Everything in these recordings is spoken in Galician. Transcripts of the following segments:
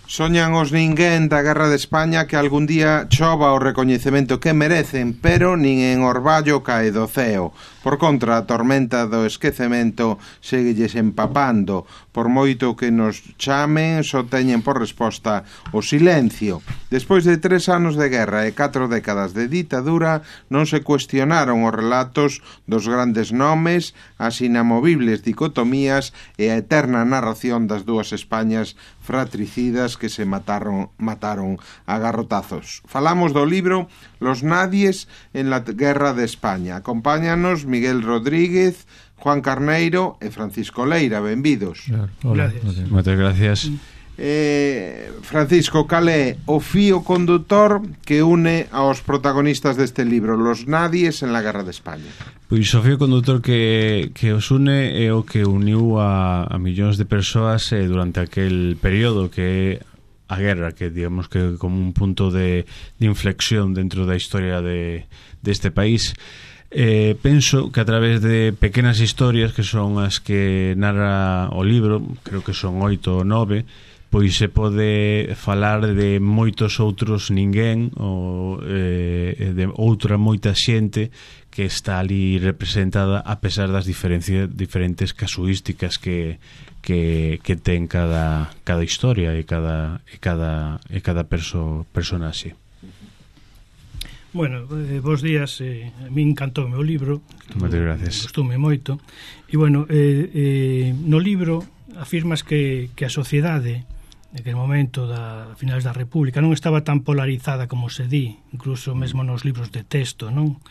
Soñan os ninguén da Guerra de España que algún día chova o recoñecemento que merecen, pero nin en orballo cae do ceo. Por contra, a tormenta do esquecemento seguelles empapando. Por moito que nos chamen, só teñen por resposta o silencio. Despois de 3 anos de guerra e 4 décadas de ditadura, non se cuestionaron os relatos dos grandes nomes, as inamovibles dicotomías e a eterna narración das dúas Españas fratricidas que se mataron a garrotazos. Falamos do libro Los Nadies en la Guerra de España. Acompáñanos Miguel Rodríguez, Juan Carneiro e Francisco Leira. Benvidos. Hola. Moitas gracias. Francisco, cal é o fío condutor que une aos protagonistas deste libro, Los Nadies en la Guerra de España? Pois o fío condutor que os une é o que uniu a millóns de persoas durante aquel período que é a guerra, que digamos que como un punto de inflexión dentro da historia deste país. Penso que a través de pequenas historias que son as que narra o libro, creo que son 8 ou 9, pois se pode falar de moitos outros ninguén ou de outra moita xente que está ali representada a pesar das diferentes casuísticas que ten cada historia e cada personaxe. Bueno, bons días, a mí encantou o meu libro. Moitas gracias. Gostoume moito. E bueno, no libro afirmas que a sociedade naquele momento a finales da República non estaba tan polarizada como se di, incluso mesmo nos libros de texto, non?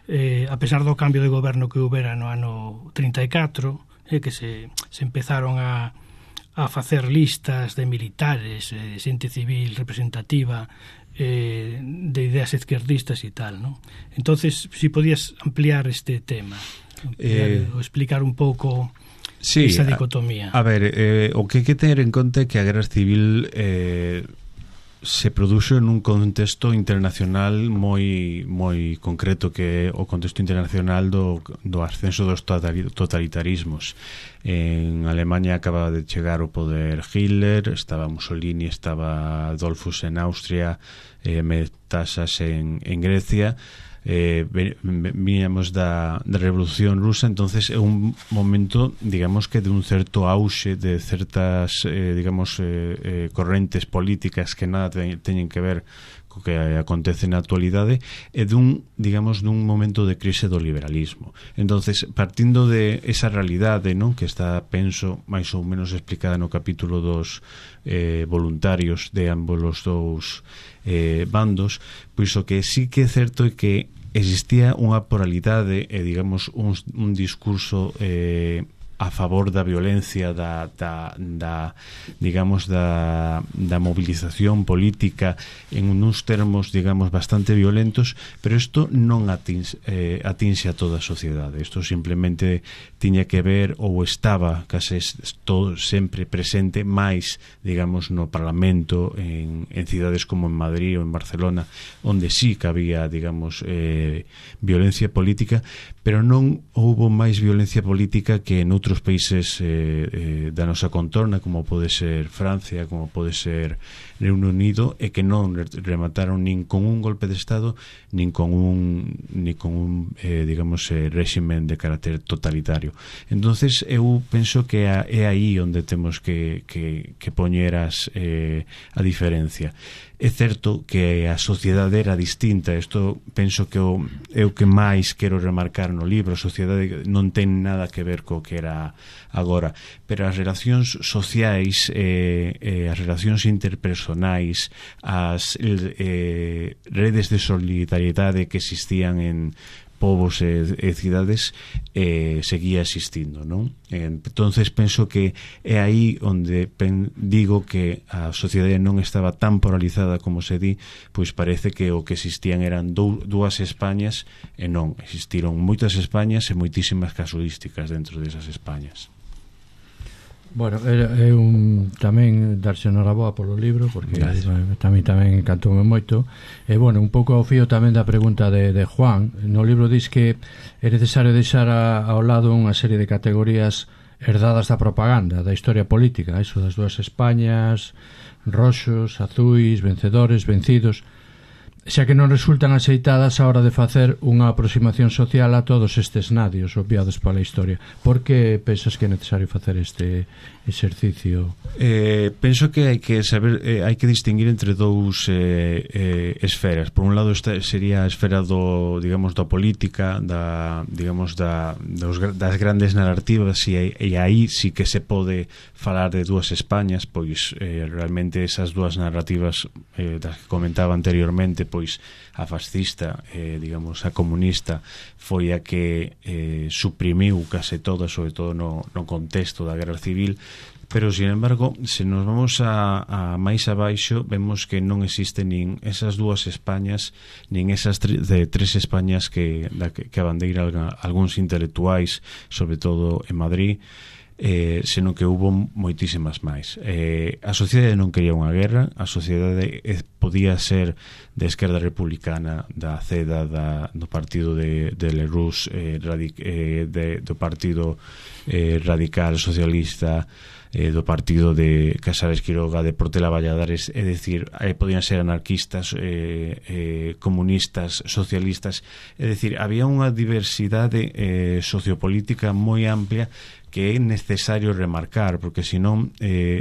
A pesar do cambio de goberno que houbera no ano 34, que se empezaron a facer listas de militares, xente civil representativa, de ideas izquierdistas e tal, non? Entonces, si podías ampliar este tema, ou explicar un pouco esa dicotomía. A ver, o que hai que ter en conta é que a guerra civil se produxo en un contexto internacional moi concreto, que é o contexto internacional do ascenso dos totalitarismos. En Alemania acaba de chegar o poder Hitler, estaba Mussolini, estaba Dollfuss en Austria, Metasas en Grecia. Viñamos da Revolución Rusa, entonces é un momento, digamos que de un certo auxe de certas correntes políticas que nada teñen que ver co que acontece na actualidade, e dun momento de crise do liberalismo. Entonces, partindo de esa realidade, non, que está, penso, máis ou menos explicada no capítulo dos voluntarios de ambos os dous bandos, pois o que sí que é certo é que existía unha pluralidade e, digamos, un discurso a favor da violencia, da movilización política en uns termos, digamos, bastante violentos, pero isto non atinxe a toda a sociedade. Isto simplemente tiña que ver, ou estaba case todo sempre presente, máis, digamos, no Parlamento, en cidades como en Madrid ou en Barcelona, onde sí que había, digamos, violencia política, pero non houbo máis violencia política que en outros países da nosa contorna, como pode ser Francia, como pode ser Reino Unido, e que non remataron nin con un golpe de Estado nin con un réximen de carácter totalitario. Entonces eu penso que é aí onde temos que poñer a diferencia. É certo que a sociedade era distinta, isto penso que é o que máis quero remarcar no libro. A sociedade non ten nada que ver co que era agora, pero as relacións sociais, as relacións interpersonais, as redes de solidariedade que existían en povos e cidades seguía existindo, non? Entonces penso que é aí onde digo que a sociedade non estaba tan polarizada como se di, pois parece que o que existían eran dúas Españas, e non, existiron moitas Españas e moitísimas casuísticas dentro desas Españas. Bueno, é tamén darse enhoraboa polo libro, porque tamén encantoume moito. E bueno, un pouco ao fío tamén da pregunta de Juan. No libro dis que é necesario deixar ao lado unha serie de categorías herdadas da propaganda, da historia política, eso das dúas Españas, roxos, azuis, vencedores, vencidos, xa que non resultan aceitadas a hora de facer unha aproximación social a todos estes nadios obviados pola historia. Por que pensas que é necesario facer este exercicio? Penso que hai que saber, hai que distinguir entre dous esferas. Por un lado sería a esfera do, digamos, da política, digamos, das grandes narrativas, e aí sí que se pode falar de dúas Españas, pois realmente esas dúas narrativas das que comentaba anteriormente, pois a fascista, digamos, a comunista foi a que suprimiu case toda, sobre todo no contexto da guerra civil. Pero, sin embargo, se nos vamos a máis abaixo, vemos que non existe nin esas dúas Españas, nin esas tres Españas que abandeiran algúns intelectuais, sobre todo en Madrid, senón que hubo moitísimas máis. A sociedade non quería unha guerra, a sociedade podía ser de esquerda republicana, da CEDA, do partido de Lerroux, do partido radical socialista, do partido de Casares Quiroga, de Portela Valladares, é dicir, podían ser anarquistas, comunistas, socialistas, é dicir, había unha diversidade sociopolítica moi amplia que é necesario remarcar, porque senón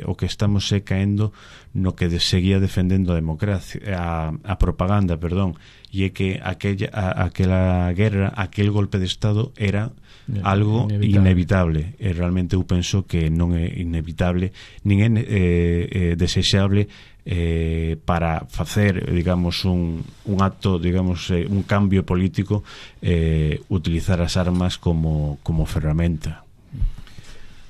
o que estamos caendo no que seguía defendendo a democracia, a propaganda, perdón, e é que aquela guerra, aquel golpe de Estado era algo inevitable. E realmente eu penso que non é inevitable, nin é desexable para facer, digamos, un acto, digamos, un cambio político, utilizar as armas como ferramenta.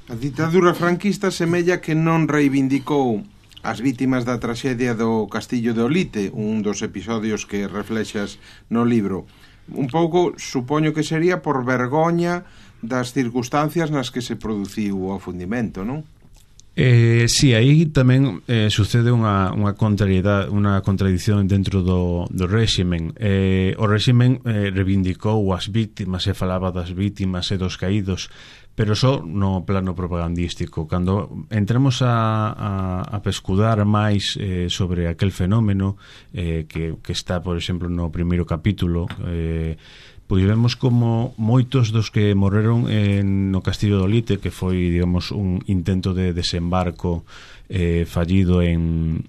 A ditadura franquista semella que non reivindicou as vítimas da traxedia do Castillo de Olite, un dos episodios que reflexas no libro. Un pouco, supoño que sería por vergoña das circunstancias nas que se produciu o afundimento, non? Sí, aí tamén sucede unha contradición dentro do réximen. O réximen reivindicou as vítimas e falaba das vítimas e dos caídos, pero só no plano propagandístico. Cando entramos a pescudar máis sobre aquel fenómeno que está, por exemplo, no primeiro capítulo, pois vemos como moitos dos que morreron no Castillo de Olite, que foi, digamos, un intento de desembarco fallido en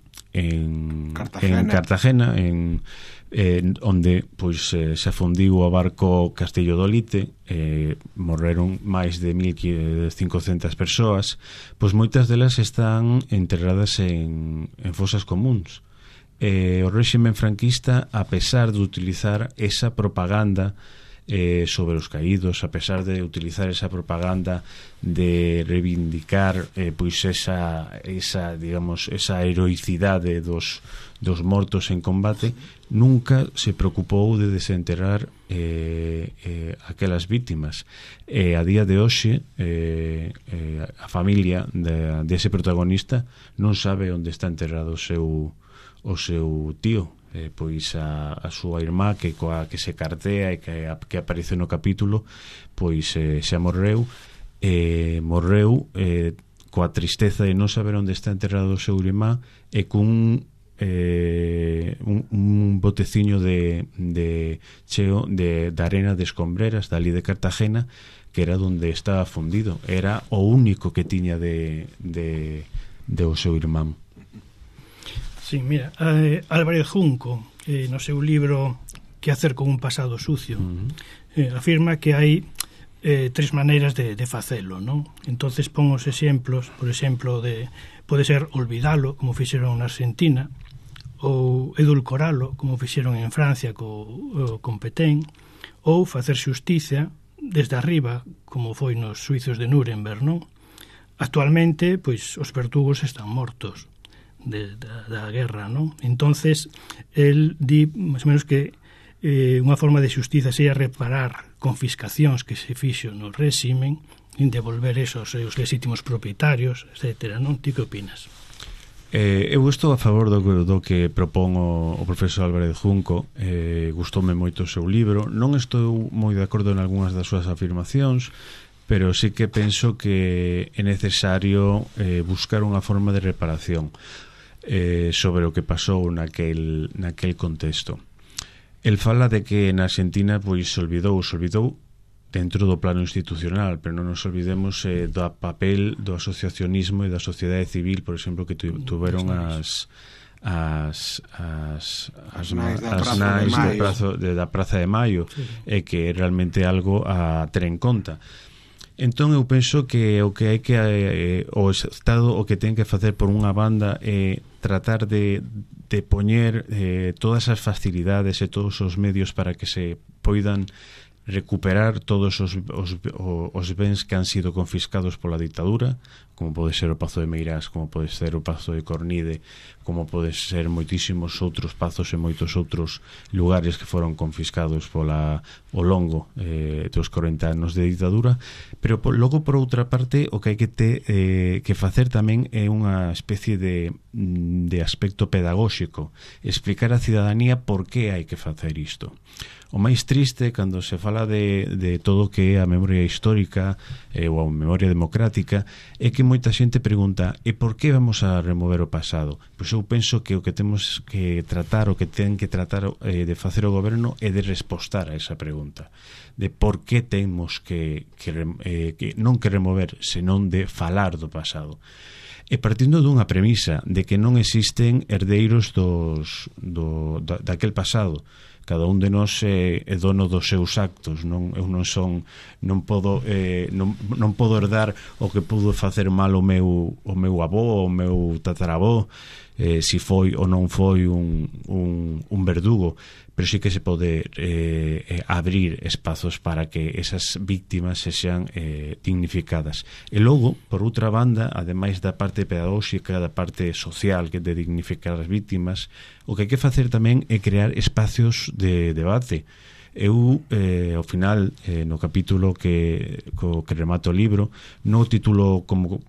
Cartagena, onde pois se afundiu o barco Castillo de Olite, morreron máis de 1.500 persoas, pois moitas delas están enterradas en fosas comuns. O réximen franquista, a pesar de utilizar esa propaganda sobre os caídos, a pesar de utilizar esa propaganda de reivindicar pois esa digamos, esa heroicidade dos mortos en combate, nunca se preocupou de desenterrar aquelas vítimas. A día de hoxe a familia dese protagonista non sabe onde está enterrado o seu tío, pois a súa irmá que se cartea e que aparece no capítulo, pois xa morreu coa tristeza de non saber onde está enterrado o seu irmá e cun un boteciño de cheo de arena de escombreras dali de Cartagena, que era onde estaba fundido, era o único que tiña de o seu irmán. Sí, mira, Álvarez Junco, no seu libro Que hacer con un pasado sucio, afirma que hai tres maneiras de facelo, non? Entonces pon os exemplos, por exemplo, pode ser olvidalo, como fixeron na Argentina, ou edulcoralo, como fixeron en Francia con Petén, ou facer xustiza desde arriba, como foi nos suizos de Nuremberg, non? Actualmente, pois, os verdugos están mortos da guerra, non? Entonces, el di, máis ou menos, que unha forma de xustiza sería reparar confiscacións que se fixo no réximen, devolver esos os legítimos propietarios, etcétera, non? Ti que opinas? Eu estou a favor do que propón o profesor Álvarez Junco. Gustoume moito o seu libro. Non estou moi de acordo en algunhas das súas afirmacións, pero sí que penso que é necesario buscar unha forma de reparación sobre o que pasou naquel contexto. El fala de que na Argentina pois se olvidou dentro do plano institucional, pero non nos olvidemos do papel do asociacionismo e da sociedade civil, por exemplo, que tuveron as nais da Praza de Maio, e que é realmente algo a ter en conta. Entón eu penso que o que hai que o Estado o que ten que facer por unha banda é tratar de poñer todas as facilidades e todos os medios para que se poidan recuperar todos os bens que han sido confiscados pola ditadura, como pode ser o Pazo de Meirás, como pode ser o Pazo de Cornide, como pode ser moitísimos outros pazos e moitos outros lugares que foron confiscados ao longo dos 40 anos de ditadura. Pero logo, por outra parte, o que hai que facer tamén é unha especie de aspecto pedagóxico, explicar á cidadanía por que hai que facer isto. O máis triste cando se fala de todo o que é a memoria histórica ou a memoria democrática é que moita xente pregunta: e por que vamos a remover o pasado? Pois eu penso que o que temos que tratar, o que ten que tratar de facer o goberno é de respostar a esa pregunta, de por que temos que non que remover, senón de falar do pasado. E partindo dunha premisa de que non existen herdeiros daquel pasado. Cada un de nós é dono dos seus actos. Eu non podo herdar o que pudo facer mal o meu avó, o meu tataravó, si foi ou non foi un verdugo, pero sí que se pode abrir espazos para que esas víctimas se sean dignificadas. E logo, por outra banda, ademais da parte pedagóxica, da parte social, que de dignificar as víctimas, o que hai que facer tamén é crear espacios de debate. Eu, ao final, no capítulo que remato o libro, non o titulo como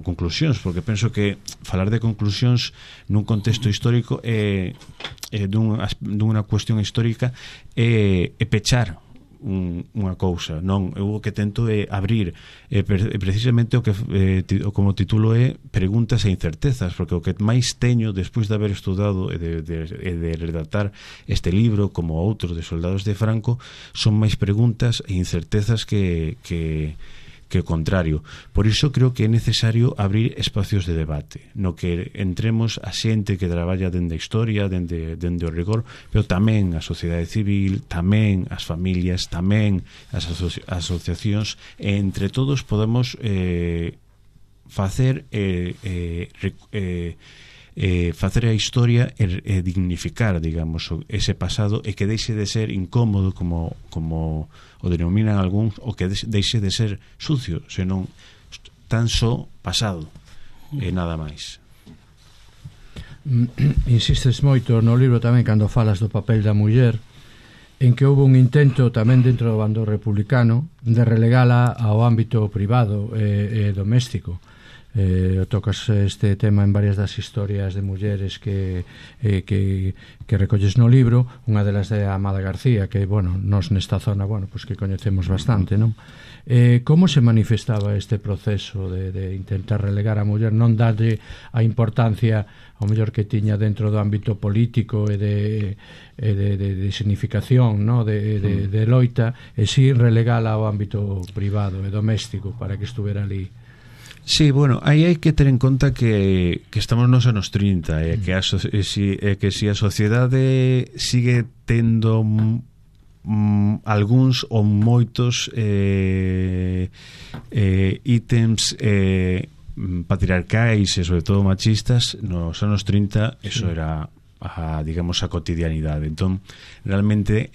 conclusións, porque penso que falar de conclusións nun contexto histórico dunha cuestión histórica é pechar unha cousa. Non, eu o que tento é abrir precisamente o que como titulo é preguntas e incertezas, porque o que máis teño despois de haber estudado e de redactar este libro como outro de Soldados de Franco son máis preguntas e incertezas que o contrario. Por iso creo que é necesario abrir espacios de debate no que entremos a xente que traballa dende a historia, dende o rigor, pero tamén a sociedade civil, tamén as familias, tamén as asociacións, e entre todos podemos facer a historia e dignificar, digamos, ese pasado, e que deixe de ser incómodo como o denominan algúns, o que deixe de ser sucio, senón tan só pasado e nada máis. Insistes moito no libro tamén cando falas do papel da muller, en que houve un intento tamén dentro do bando republicano de relegala ao ámbito privado e doméstico. Tocas este tema en varias das historias de mulleres que recolles no libro. Unha delas de Amada García, que, bueno, nos nesta zona, bueno, pues que coñecemos bastante, non? Como se manifestaba este proceso de intentar relegar a muller, non darlle a importancia ao mellor que tiña dentro do ámbito político e de significación, no? de loita, e si relegala ao ámbito privado e doméstico para que estuvera ali? Sí, bueno, aí hai que ter en conta que estamos nos anos 30 e que si a sociedade sigue tendo algúns ou moitos ítems patriarcais e sobre todo machistas, nos anos 30 eso era digamos a cotidianidade. Entón, realmente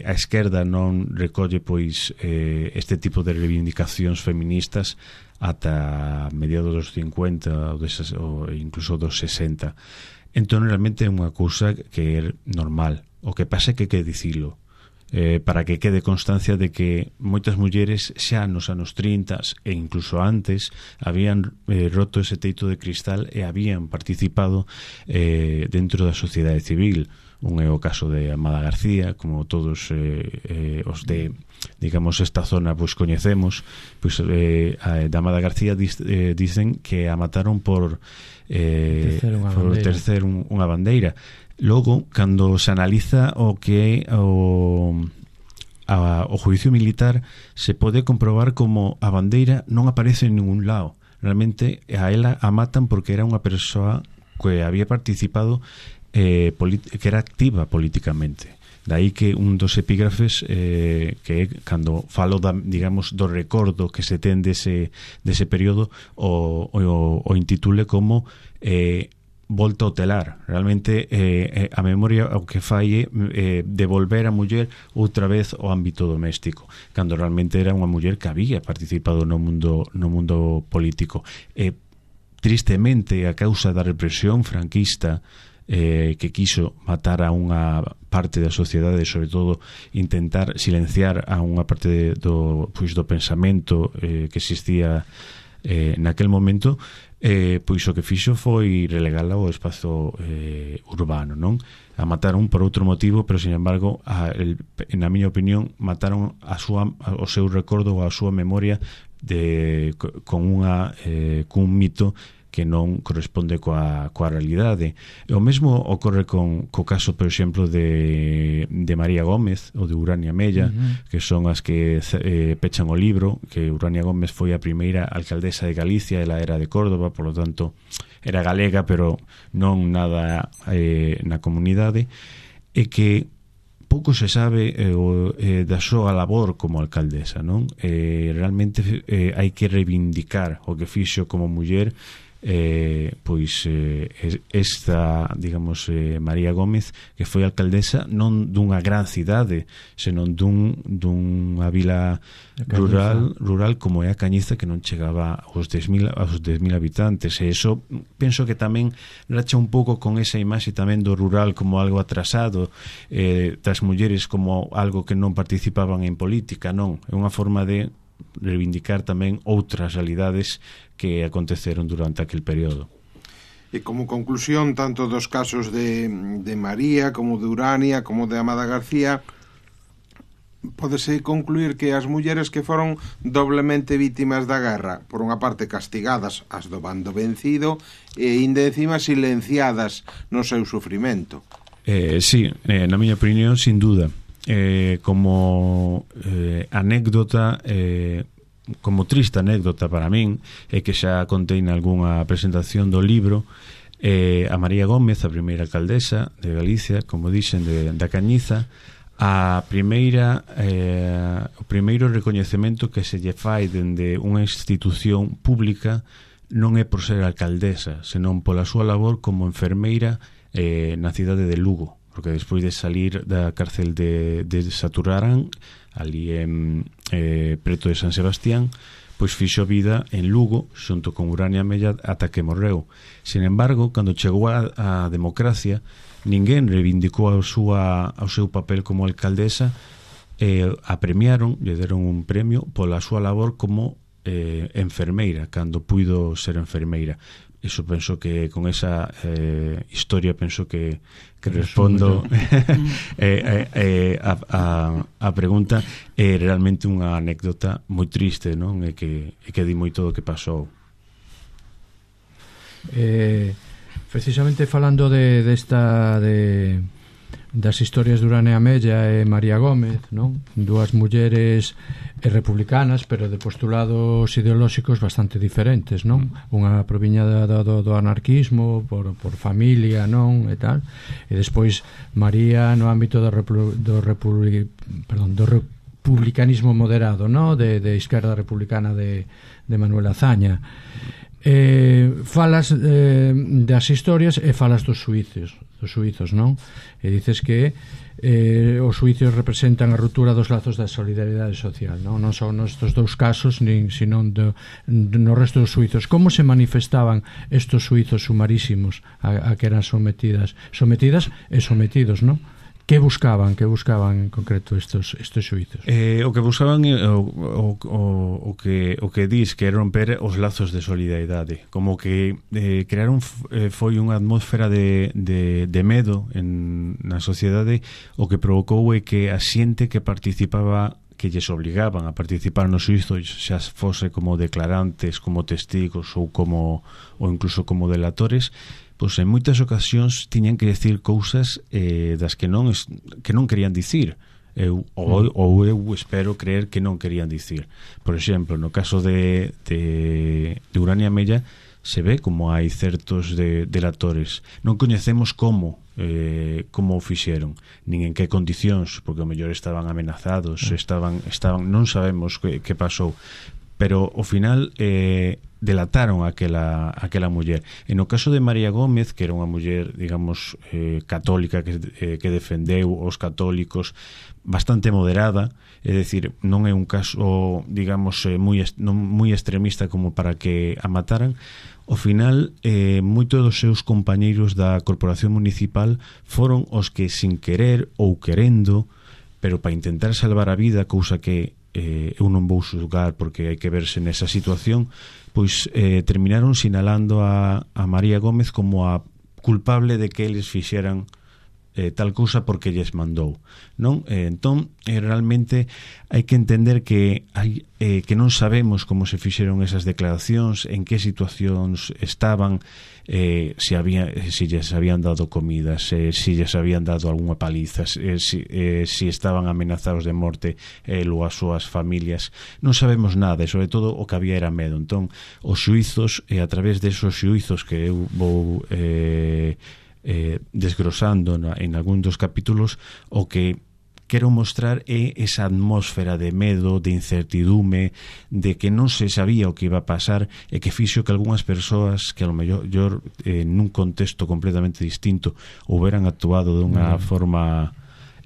a esquerda non recolle pois este tipo de reivindicacións feministas ata mediados dos 50 ou incluso dos 60. Entón, realmente é unha cousa que é normal. O que pasa é que hai que dicilo para que quede constancia de que moitas mulleres xa nos anos 30 e incluso antes habían roto ese teito de cristal e habían participado dentro da sociedade civil. Un é o caso de Amada García, como todos os de, digamos, esta zona pois coñecemos. Pois da Amada García dicen que a mataron por tercer unha bandeira. Logo, cando se analiza o que é o juicio militar, se pode comprobar como a bandeira non aparece en ningún lado. Realmente a ela a matan porque era unha persoa que había participado, que era activa políticamente. Daí que un dos epígrafes que cando falo digamos do recordo que se ten dese período o intitule como volta ao telar. Realmente a memoria o que fai é devolver a muller outra vez ao ámbito doméstico, cando realmente era unha muller que había participado no mundo político. Tristemente, a causa da represión franquista que quiso matar a unha parte da sociedade, sobre todo intentar silenciar a unha parte do pensamento que existía naquel momento, pois o que fixo foi relegala ao espazo urbano, non? A mataron por outro motivo, pero sin embargo na miña opinión mataron o seu recordo ou a súa memoria con un mito que non corresponde coa realidade. O mesmo ocorre co caso, por exemplo, de María Gómez ou de Urania Mella, que son as que pechan o libro, que Urania Gómez foi a primeira alcaldesa de Galicia, ela era de Córdoba, por lo tanto era galega, pero non nada na comunidade, e que pouco se sabe da súa labor como alcaldesa, non? Realmente hai que reivindicar o que fixo como muller. Esta, digamos, María Gómez, que foi alcaldesa non dunha gran cidade, senón dunha vila rural como é a Cañiza, que non chegaba aos 10.000 habitantes, e iso penso que tamén racha un pouco con esa imaxe tamén do rural como algo atrasado, das mulleres como algo que non participaban en política. Non, é unha forma de reivindicar tamén outras realidades que aconteceron durante aquel período. E como conclusión, tanto dos casos de María como de Urania como de Amada García, pódese concluir que as mulleres que foron doblemente vítimas da guerra, por unha parte castigadas as do bando vencido e ainda encima silenciadas no seu sufrimento. Sí, na miña opinión, sin duda. Como anécdota, como triste anécdota para min, é que xa contei nalgúnha presentación do libro, a María Gómez, a primeira alcaldesa de Galicia, como dixen, da Cañiza, o primeiro recoñecemento que se lle fai dende unha institución pública non é por ser alcaldesa, senón pola súa labor como enfermeira na cidade de Lugo, porque despois de salir da cárcel de Saturarán, ali preto de San Sebastián, pois fixo vida en Lugo xunto con Urania Mella ata que morreu. Sin embargo, cando chegou a democracia, ninguén reivindicou o seu papel como alcaldesa, a premiaron, lle deron un premio pola súa labor como enfermeira, cando puido ser enfermeira. Iso penso que con esa historia penso que respondo a pregunta. É realmente unha anécdota moi triste, non? E que di moito do que pasou. Precisamente falando das historias de Urania Mella e María Gómez, non? Dúas mulleres republicanas, pero de postulados ideolóxicos bastante diferentes, non? Unha proviña do anarquismo por familia, non? E tal. E despois María no ámbito do republicanismo moderado, non? De esquerda republicana de Manuel Azaña. Falas das historias e falas dos suizos, non? E dices que os suizos representan a ruptura dos lazos da solidaridade social, non só nestes dous casos, sino no resto dos suizos. Como se manifestaban estos suizos sumarísimos a que eran sometidas e sometidos, non? Que buscaban en concreto estes xuizos? O que buscaban o que dis que romper os lazos de solidaridade, como que crearon foi unha atmósfera de medo na sociedade. O que provocou é que a xente que participaba, que lles obligaban a participar no xuízo, xa fose como declarantes, como testigos ou incluso como delatores, pois en moitas ocasións tiñan que decir cousas das que non querían dicir, ou eu espero creer que non querían dicir. Por exemplo, no caso de Urania Mella, se ve como hai certos delatores. Non coñecemos como o fixeron, nin en que condicións, porque ao mellor estaban amenazados, non sabemos que pasou, pero ao final delataron aquela muller. E no caso de María Gómez, que era unha muller, digamos, católica, que defendeu os católicos, bastante moderada, é dicir, non é un caso, digamos, moi extremista como para que a mataran. Ao final, moitos dos seus compañeiros da corporación municipal foron os que, sin querer ou querendo, pero para intentar salvar a vida, cousa que eu non vou xulgar porque hai que verse nesa situación, pois terminaron sinalando a María Gómez como a culpable de que eles fixeran tal cousa porque lles mandou, non? Entón, realmente hai que entender que non sabemos como se fixeron esas declaracións, en que situacións estaban, se lles habían dado comidas, se lles habían dado algunha paliza, se estaban amenazados de morte ou as súas familias. Non sabemos nada, e sobre todo o que había era medo. Entón, os xuizos, e a través desos xuizos que eu vou desgrosando en algún dos capítulos, o que quero mostrar é esa atmósfera de medo, de incertidume, de que non se sabía o que iba a pasar, e que fixo que algunhas persoas que a lo mellor nun contexto completamente distinto houberan actuado dunha forma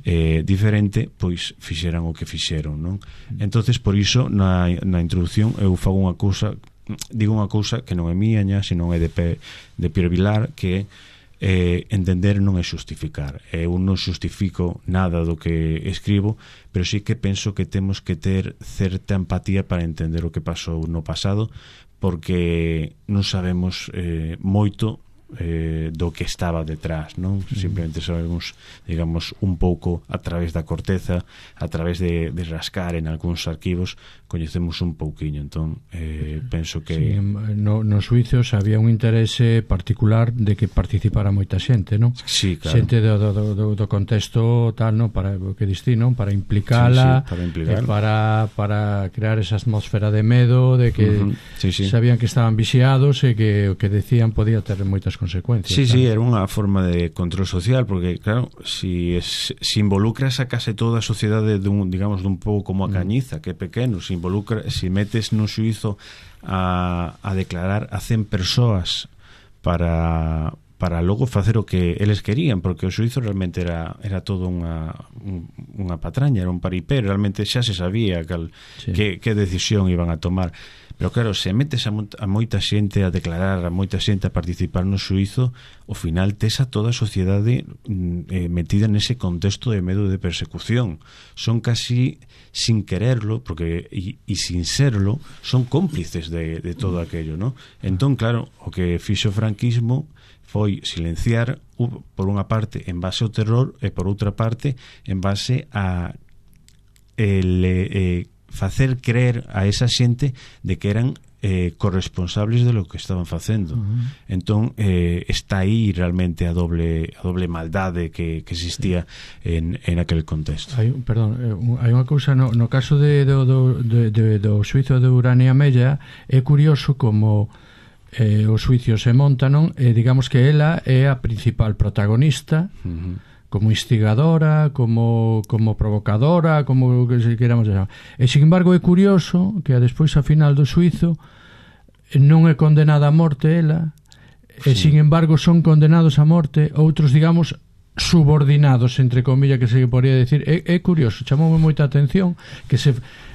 diferente, pois fixeran o que fixeron, non? Entonces, por iso na introducción eu fago digo unha cousa que non é miña, senón é de Pierre Vilar, que entender non é xustificar. Eu non xustifico nada do que escribo, pero sí que penso que temos que ter certa empatía para entender o que pasou no pasado, porque non sabemos moito do que estaba detrás, non? Simplemente sabemos, digamos, un pouco a través da corteza, a través de rascar en algúns arquivos, coñecemos un pouquiño. Entón, penso que... Sí, nos xuizos había un interese particular de que participara moita xente, non? Sí, claro. Xente do contexto tal, non? Para o que distí, non? Para implicala, para crear esa atmosfera de medo, de que sabían que estaban vixiados e que o que decían podía ter moitas consecuencias. Sí, era unha forma de control social, porque claro, si involucras a case toda a sociedade dun pouco como a Cañiza, que é pequeno, si metes nun xuízo a declarar a 100 persoas para logo facer o que eles querían, porque o xuízo realmente era todo unha patraña, era un paripé, realmente xa se sabía que decisión iban a tomar. Pero claro, se metes a moita xente a declarar, a moita xente a participar no xuízo, ao final tes a toda a sociedade metida nese contexto de medo de persecución. Son casi, sin quererlo, porque e sin serlo, son cómplices de todo aquello, ¿no? Entón, claro, o que fixo o franquismo foi silenciar, por unha parte, en base ao terror, e por outra parte, en base a facer creer a esa xente de que eran corresponsables de lo que estaban facendo. Entón está aí realmente a doble maldade que existía en aquel contexto. Hai unha cousa no caso do xuízo de Urania Mella. É curioso como os xuicios se montan, digamos que ela é a principal protagonista, como instigadora, como provocadora, como que se queramos chamar. E, sin embargo, é curioso que despois, a final do xuízo, non é condenada a morte ela, e, sin embargo, son condenados a morte outros, digamos, subordinados, entre comillas, que se podría decir. É curioso, chamoume moita atención que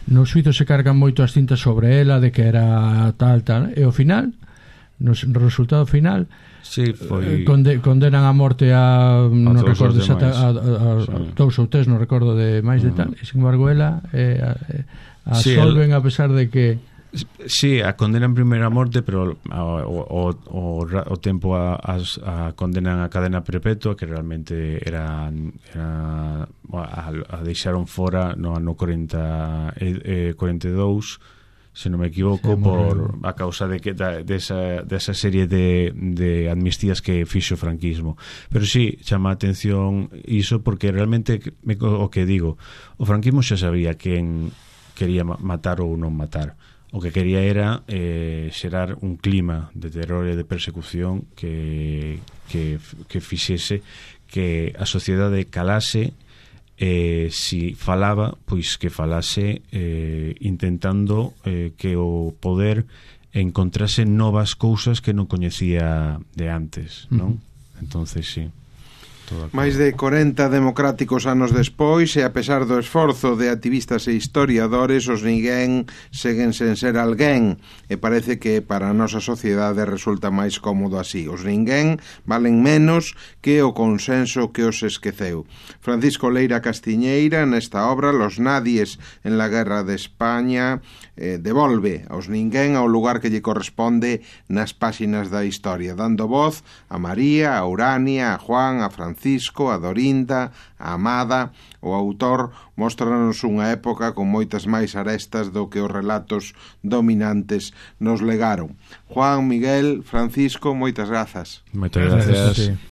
no xuízo se cargan moito as cintas sobre ela, de que era tal, e ao final no resultado final sí, foi... condenan a morte a non todos recordo os a demais. dous ou tres, non recordo de máis de tal, e sin embargo ela absolven a pesar de que sí, a condenan primeiro a morte, pero o tempo a condenan a cadena perpetua, que realmente era a deixaron fora no ano 42, se non me equivoco, por a causa de que desa serie de amnistías que fixo o franquismo. Pero sí, chama a atención iso, porque realmente o que digo, o franquismo xa sabía quen quería matar ou non matar. O que quería era xerar un clima de terror e de persecución que fixese que a sociedade calase, si falaba, pois que falase intentando que o poder encontrase novas cousas que non coñecía de antes, non? Entonces, sí. Máis de 40 democráticos anos despois, e a pesar do esforzo de activistas e historiadores, os ninguén seguen sen ser alguén, e parece que para a nosa sociedade resulta máis cómodo así. Os ninguén valen menos que o consenso que os esqueceu. Francisco Leira Castiñeira, nesta obra, Los nadies en la guerra de España, devolve aos ninguén ao lugar que lle corresponde nas páxinas da historia, dando voz a María, a Urania, a Juan, a Francisco, a Dorinda, a Amada. O autor mostranos unha época con moitas máis arestas do que os relatos dominantes nos legaron. Juan, Miguel, Francisco, moitas grazas. Moitas gracias.